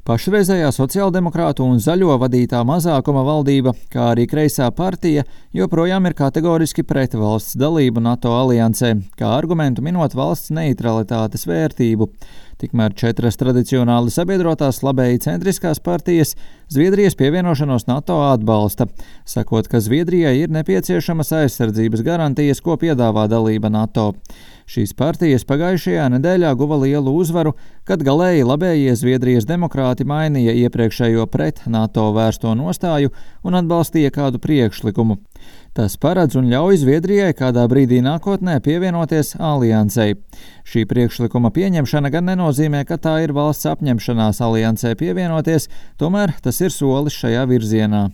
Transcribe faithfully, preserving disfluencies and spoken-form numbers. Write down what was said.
Pašreizējā sociāldemokrātu un zaļo vadītā mazākuma valdība, kā arī kreisā partija, joprojām ir kategoriski pret valsts dalību NATO aliansē, kā argumentu minot valsts neitralitātes vērtību. Tikmēr četras tradicionāli sabiedrotās labēji centriskās partijas Zviedrijas pievienošanos NATO atbalsta, sakot, ka Zviedrijai ir nepieciešamas aizsardzības garantijas, ko piedāvā dalība NATO. Šīs partijas pagājušajā nedēļā guva lielu uzvaru, kad galēji labējie Zviedrijas demokrāti mainīja iepriekšējo pret NATO vērsto nostāju un atbalstīja kādu priekšlikumu. Tas paredz un ļauj Zviedrijai kādā brīdī nākotnē pievienoties aliansei. Šī priekšlikuma pieņemšana gan nenozīmē, ka tā ir valsts apņemšanās aliansei pievienoties, tomēr tas ir solis šajā virzienā.